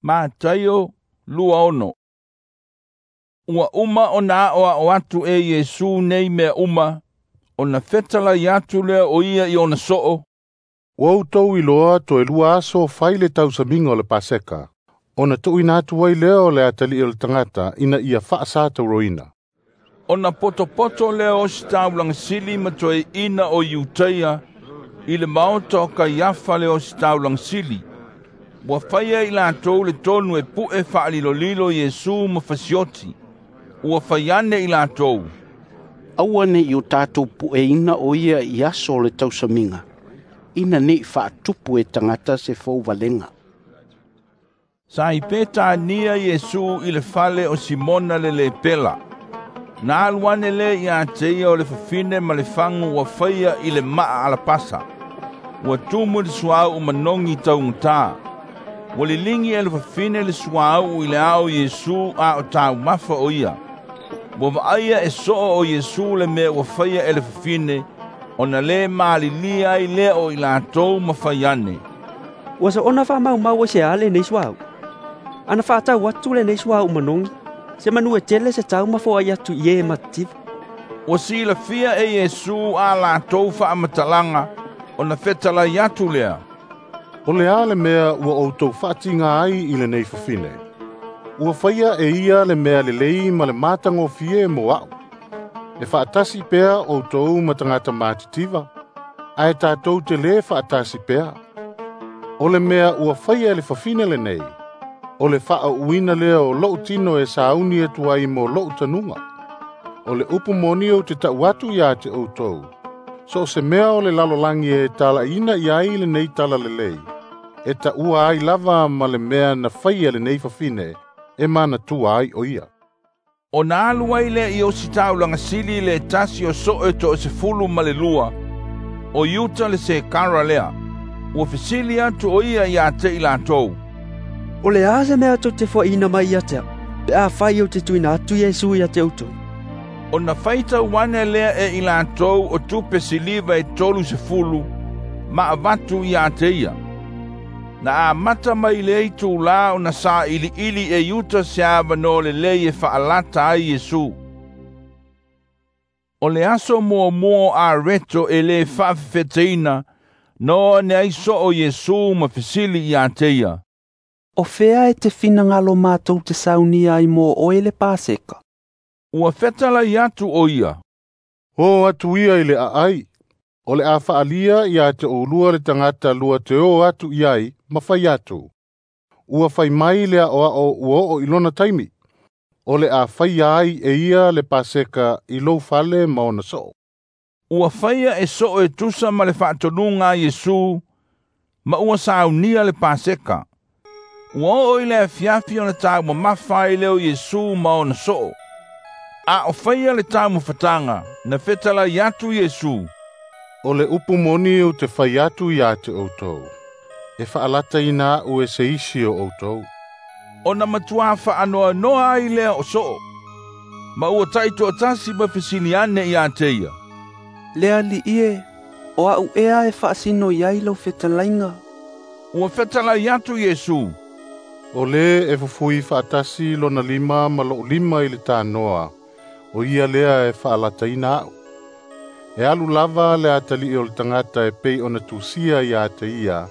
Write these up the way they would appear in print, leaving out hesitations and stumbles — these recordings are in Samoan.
Mataio 26. Ua uma ona aʻoaʻo atu e Iesu nei mea uma, ona fetalai atu lea o ia i ona soo. Ua outou iloa toe 2 aso fai le tausamiga o le Paseka, ona tuuina atu ai lea o le atalii o le tagata ina ia faasatauroina. Ona potopoto lea o ositaulaga sili ma toeaina o Iutaia i le maota o Kaiafa le ositaulaga sili. Ua faia i latou le tonu e pu'e faalilolilo Iesu ma fasioti. Ua fai ane i latou, "Aua neʻi o tatou pu'eina o ia i aso o le tausamiga, ina neʻi faatupu e tagata se fouvalega." Sa i Petania Iesu i le fale o Simona le lepela. Na alu ane lea ia te ia o le fafine ma le fagu ua faia i le maa alapasa. Ua tumu i le suauu manogi taugata. Ua liligi e le fafine le suauu i le ao Iesu a o taumafa o ia. Ua vaaia e soo o Iesu le mea ua faia e le fafine, ona le malilia ai lea o i latou ma fai ane. "Ua soona faamaumau ai se a lenei suauu? Ana faatau atu lenei suauu manogi, se manu e tele se tau ma foai atu i e matitiva." Ua silafia e Iesu a latou faamatalaga, ona fetalai atu lea, "O le a le mea ua outou faatiga ai i lenei fafine? Ua faia e ia le mea lelei ma le matagofie mo a'u. E faatasi pea outou ma tagata matitiva, ae tatou te lē faatasi pea. O le mea ua faia e le fafine lenei, o le faaauuina lea o lo'u tino e sauni atu ai mo lo'u tanuga. O le upu moni ou te ta'u atu iā te outou, so o se mea o le lalolagi e talaʻiina i ai lenei talalelei, e taʻua ai lava ma le mea na faia lenei fafine e manatua ai o ia." Ona alu ai lea i ositaulaga sili le tasi o soo e 12, o Iuta le Sekara lea. Ua fesili atu o ia iā te i latou, "O le a se mea tou te foaina mai ia te au, pe afai ou te tuuina atu Iesu ia te outou?" Ona faitau ane lea e i latou o tupe siliva e 30 ma avatu ia te ia. Na amata mai le itulā ona sailiili e Iuta se avanoa lelei e faalata ai Iesu. O le aso muamua o areto e lē faafefeteina, na oo ane ai soo Iesu ma fesili ia te ia, "O fea e te finagalo matou te saunia ai mo oe le Paseka?" Ua fetalai atu o ia, "O atu ia i le aai, o le a faalia ia te oulua le tagata lua te o atu i ai ma fai atu. Ua fai mai le aʻoaʻo ua oo i lona taimi, o le a faia ai e ia le Paseka i lou fale ma ona soo." Ua faia e soo e tusa ma le faatonuga a Iesu, ma ua saunia le Paseka. Ua oo i le afiafi ona taumamafa ai lea o Iesu ma ona soo. A o faia le taumafataga, na fetalai atu Iesu, "O le upu moni ou te fai atu iā te outou, e faalataina aʻu e se isi o outou." Ona matuā faanoanoa ai lea o soo, ma ua taitoatasi ma fesili ane ia te ia, "Le alii e, o aʻu ea e faasino i ai lau fetalaiga?" Ua fetalai atu Iesu, "O lē e fufui faatasi lona lima ma lo'u lima i le tanoa, o ia lea e faalataina aʻu. E alu lava le atalii o le tagata e pei ona tusia iā te ia,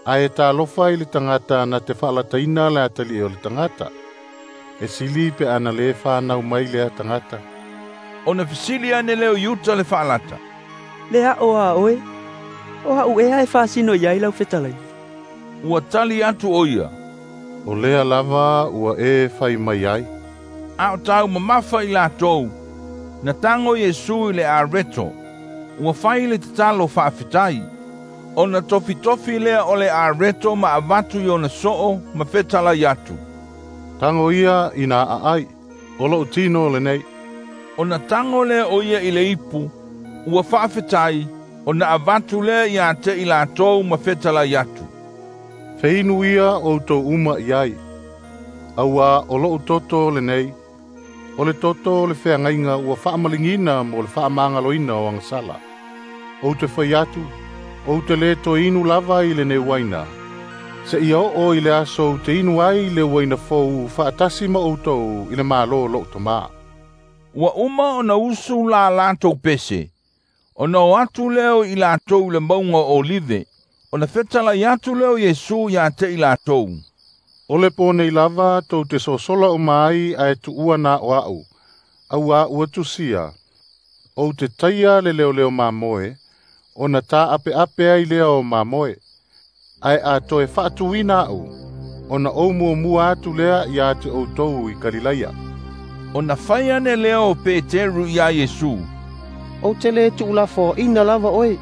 ae talofa i le tagata na te faalataina le atalii o le tagata. E sili pe ana lē fanau mai lea tagata." Ona fesili ane lea o Iuta le faalata, "Le aʻo a oe, o aʻu ea e faasino i ai lau fetalaiga?" Ua tali atu o ia, "O lea lava ua e fai mai ai." A o taumamafa i latou, na tago Iesu i le areto. Ua fai le tatalo faafetai. Ona tofitofi lea o le areto ma avatu i ona soo ma fetalai atu, "Tago ia ina aai, o lo'u tino lenei." Ona tago lea o ia i le ipu, ua faafetai, ona avatu lea ia te i latou ma fetalai atu, "Feinu ia outou uma i ai, auā o lo'u toto lenei, o le toto o le feagaiga ua faamaligiina mo le faamagaloina o agasala. Ou te fai atu, ou te lē toe inu lava i lenei uaina, Seia oo i le aso ou te inu ai le uaina fou faatasi ma outou i le Malo o lou Tamā." Ua uma ona usu la latou pese, ona o atu lea o i latou i le mauga o Olive, ona fetalai atu lea o Iesu ia te i latou. "O le pō nei lava tou te sosola uma ai ae tuua na o a'u, auā ua tusia, ou te taia le leoleo mamoe, ona tā'ape'ape ai lea o mamoe. Ae a toe faatuina a'u, ona ou muamua atu lea ia te outou i Kalilaia." Ona fai ane lea o Peteru iā Iesu, "Ou te lē tuulafoaina lava oe,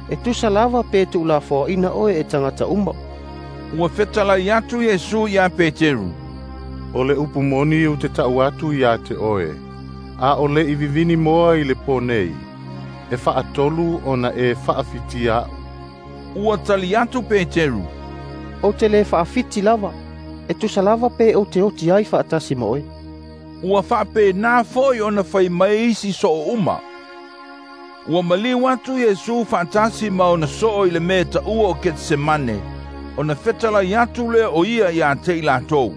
e tusa lava pe tuulafoaina oe e tagata uma." Ua fetalai atu Iesu iā Peteru, "O le upu moni ou te ta'u atu iā te oe, a o le'i vivini moa i le pō nei, e fa'atolu ona e fa'afitia a'u." Ua tali atu Peteru, "Ou te lē fa'afiti lava, e tusa lava pe ou te oti ai fa'atasi ma oe." Ua fa'apena fo'i ona fai mai isi so'o uma. Ua maliu atu Iesu fa'atasi ma ona so'o i le mea ta'ua o Ketesemane, ona fetalai atu lea o ia iā te i latou.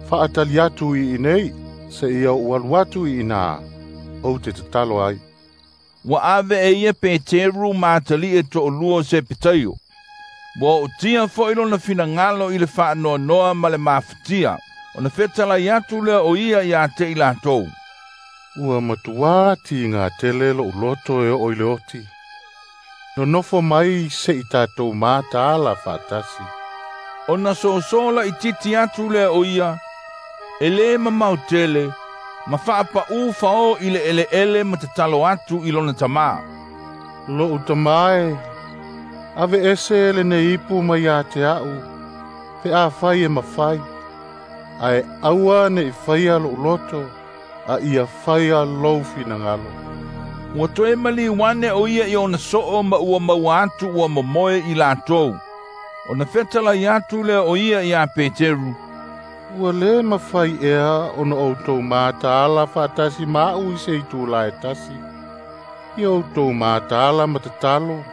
"Fa'atali atu i inei, seia ou alu atu i inā, ou te tatalo ai." Ua ave e ia Peteru ma atali'i e to'alua o Sepetaio. Ua o'otia fo'i lona finagalo i le fa'anoanoa ma le mafatia, ona fetalai atu lea o ia iā te i latou. "Ua matuā tigā tele lo'u loto e oo i le oti. Nonofo mai se'i tatou mataala fa'atasi." Ona soso la'ititi atu lea o ia, e lē mamao tele, ma fa'apa'ū fao i le ele'ele ma tatalo atu i lona Tamā. "Lo'u Tamā e, ave'ese lenei ipu mai iā te a'u, pe afai e mafai, ae aua ne'i faia lo'u loto, a ia faia lou finagalo." Ua toe maliu ane o ia i ona so'o ma ua maua atu ua momoe i latou. Ona fetalai atu lea o ia iā Peteru, "Ua lē mafai ea ona outou mataala fa'atasi ma a'u i se itulā e tasi. Ia outou mataala ma tatalo,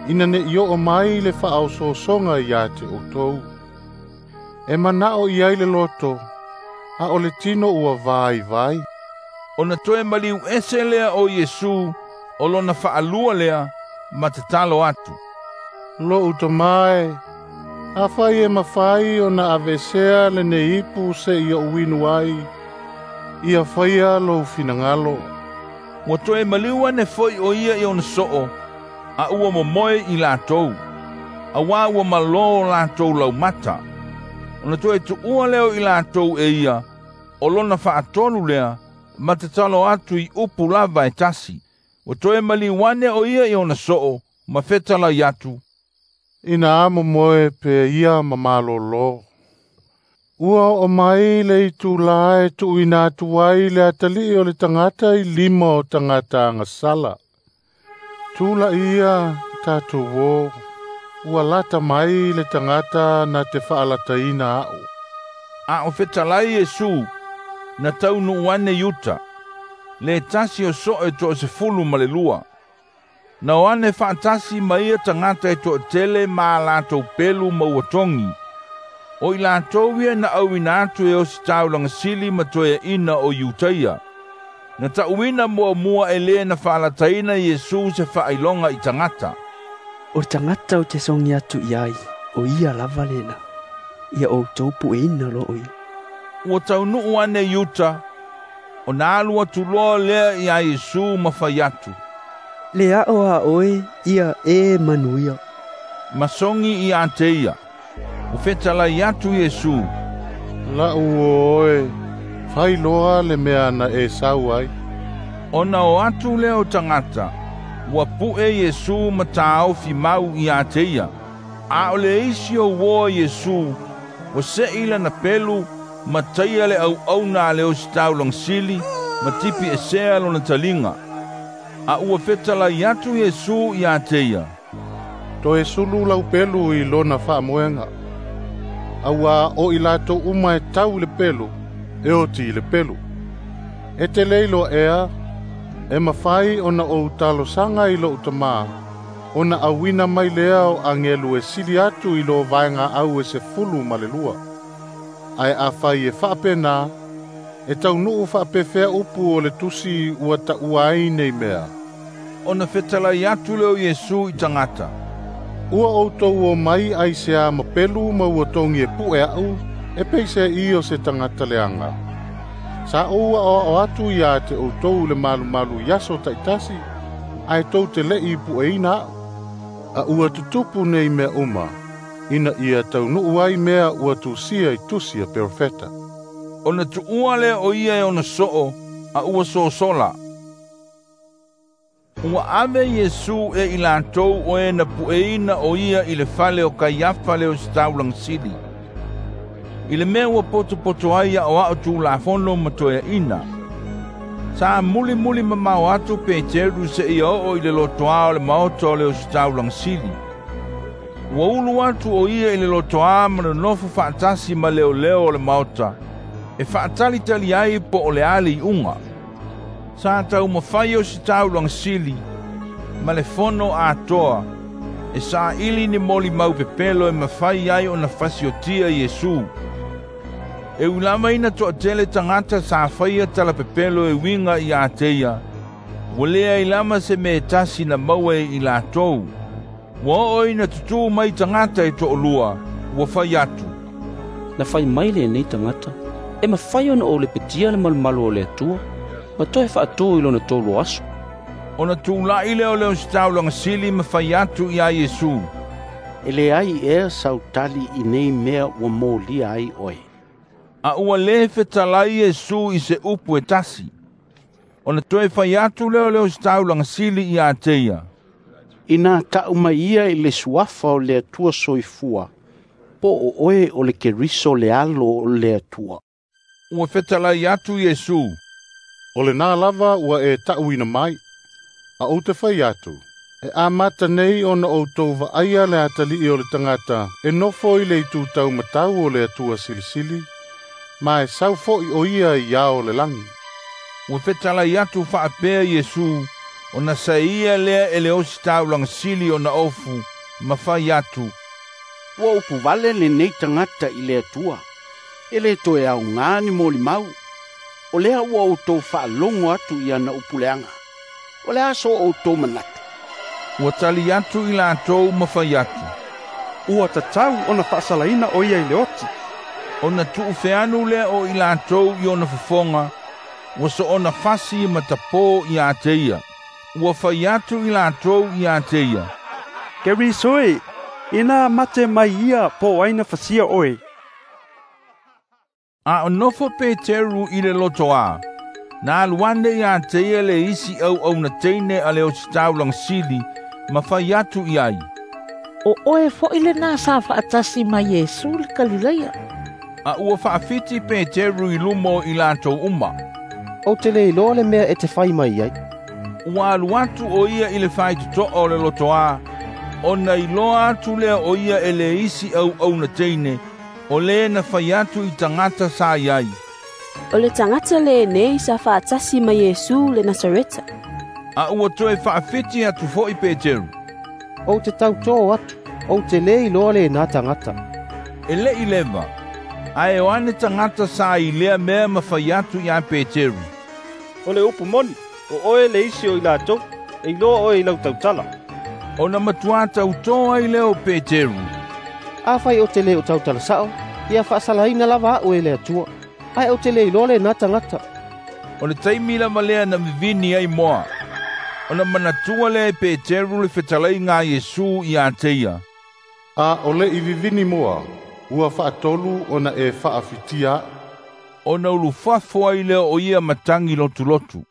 ina ne'i o'o mai le fa'aosoosoga iā te outou. E mana'o i ai le loto, a o le tino ua vaivai." Ona toe maliu ese lea o Iesu, o lona fa'alua lea, ma tatalo atu. "Lo'u Tamā e, afai e mafai ona aveesea lenei ipu se'i o'u inu ai, ia faia lou finagalo." Ua toe maliu ane fo'i o ia i ona so'o, a ua momoe i latou, auā ua malō latou laumata. Ona toe tu'ua lea o i latou e ia, o lona fa'atolu lea, ma tatalo atu i upu lava e tasi. Ua toe maliu ane o ia i ona so'o, ma fetalai atu. "Ina momoe pe ia ma malōlō. Ua oo mai le itulā e tu'uina atu ai le Atali'i o le tagata i lima o tagata agasala. Tula'i ia tatou ō, ua lata mai le tagata na te fa'alataina a'u." A o fetalai Iesu, na taunu'u ane Iuta, le tasi o so'o e 12. Na o ane fa'atasi ma ia tagata e to'atele ma a latou pelu ma ua togi. O i latou ia na auina atu e ositaulaga sili ma toeaʻina o Iutaia. Na ta'uina muamua e lē na fa'alataina Iesu se fa'ailoga i tagata. "O le tagata ou te sogi atu i ai, o ia lava lena. Ia outou pu'eina loa o ia." Ua taunu'u ane Iuta, ona alu atu loa lea iā Iesu ma fai atu. "Le a'o a oe, ia e manuia." Ma sogi iā te ia. Ua fetalai atu Iesu, "La'u uo oe, fai loa le mea na e sau ai." Ona o atu lea o tagata, ua pu'e Iesu ma tāofi mau iā te ia. A o le isi o uō Iesu, ua se'i lana pelu ma taia le au'auna a le ositaulaga sili ma tipi esea lona taliga. A ua fetalai atu Iesu iā te ia, "Toe sulu lau pelu i lona fa'amoega. Auā o i latou uma e tau i le pelu, e oti i le pelu. E te lē iloa ea, e mafai ona ou talosaga i lo'u Tamā, ona auina mai lea o agelu e sili atu i lo vaega au e 12. Ae afai e faapena, e taunuu faapefea upu o le tusi ua taua ai nei mea. Ona fetalai atu lea o Iesu i tagata. Ua outou o mai ai se a mapelu ma ua togi e pu'e a'u, e peiseai o se tagata leaga. Sa ou aoao atu ia te outou le malumalu i aso ta'itasi, ae tou te le'i pu'eina a'u. A ua tutupu nei mea uma, ina ia taunuu ai mea ua tusia i tusi a perofeta. Ona tuua lea o ia e ona soo, a ua sosola. Ua ave Iesu e i latou o e na pueina o ia i le fale o Kaiafa le ositaulaga sili. I le mea ua potopoto ai aoao tulafono ma toeaina. Sa mulimuli mamao atu Peteru seia oo i le lotoā o le maota o le ositaulaga sili. Ua ulu atu o ia i le lotoā ma nonofo faatasi ma leoleo o le maota, e faatalitali ai po o le a le iuga. Sa taumafai ositaulaga sili ma le fono atoa, e saili ni molimau pepelo e mafai ai ona fasiotia Iesu. E ui lava ina toatele tagata sa faia talapepelo e uiga ia te ia, ua leai lava se mea e tasi na maua e i latou. Ua oo ina tutū mai tagata e toalua, ua fai atu. Na fai mai lenei tagata, e mafai ona ou lepetia le malumalu o le Atua, ma toe faatū i lona tolu aso. Ona tula'i lea o le ositaulaga sili ma fai atu iā Iesu. E leai ea sautali i nei mea ua molia ai oe. A ua lē fetalai Iesu i se upu e tasi. Ona toe fai atu lea o le ositaulaga sili ia te ia. Ina ta'u mai ia i le suafa o le Atua soifua, po o oe o le Keriso le alo o le Atua. Ua fetalai atu Iesu. O lenā lava ua e ta'uina mai. A ou te fai atu, e amata nei ona outou vaaia le atalii o le tagata e nofo i le itu taumatau o le Atua silisili, ma e sau fo'i o ia i ao o le lagi. Ua fetalai atu faapea Iesu, ona saia lea e le ositaulaga sili ona ofu, ma fai atu. Ua upu vale lenei tagata i le Atua, e le toe aogā ni molimau. O lea ua outou faalogo atu i ana upu leaga. O le a so outou manatu. Ua tali atu i latou ma fai atu. Ua tatau ona faasalaina o ia i le oti. Ona tuufeanu lea o i latou i ona fofoga, ua soona fasi ma tapō ia te ia. Ua fai atu i latou ia te ia. Keriso e, ina mate mai ia po ai na fasia oe. A o nofo Peteru i le lotoā, na alu ane ia te ia le isi auauna teine a le ositaulaga sili, ma fai atu i ai. O oe fo'i lenā sa faatasi ma Iesu le Kalilaia. A ua faafiti Peteru i luma o i latou uma. Ou te le iloa le mea e te fai mai ai. Ua alu atu o ia i le faitotoa o le lotoā, ona iloa atu lea o ia e le isi auauna teine, o le na fai atu i tagata sa i ai. O le tagata lenei sa faatasi ma Iesu le Nasareta. A ua toe faafiti atu fo'i Peteru. Ou te tautō atu, ou te le iloa lenā tagata. E le'i leva, ae o ane tagata sa i lea mea ma fai atu iā Peteru. O le upu moni, o oe le isi o i latou, e iloa oe i lau tautala. Ona matuā tautō ai lea o Peteru. Afai o te le o tautala sa'o, ia faasalaina lava a'u e le Atua. Ae ou te le iloa lenā tagata. O le taimi lava lea na vivini ai moa. Ona manatua lea e Peteru le fetalaiga a Iesu ia te ia. A o le'i vivini moa, ua faatolu ona e faafitia a'u. Ona ulufafo ai lea o ia matagi lotulotu.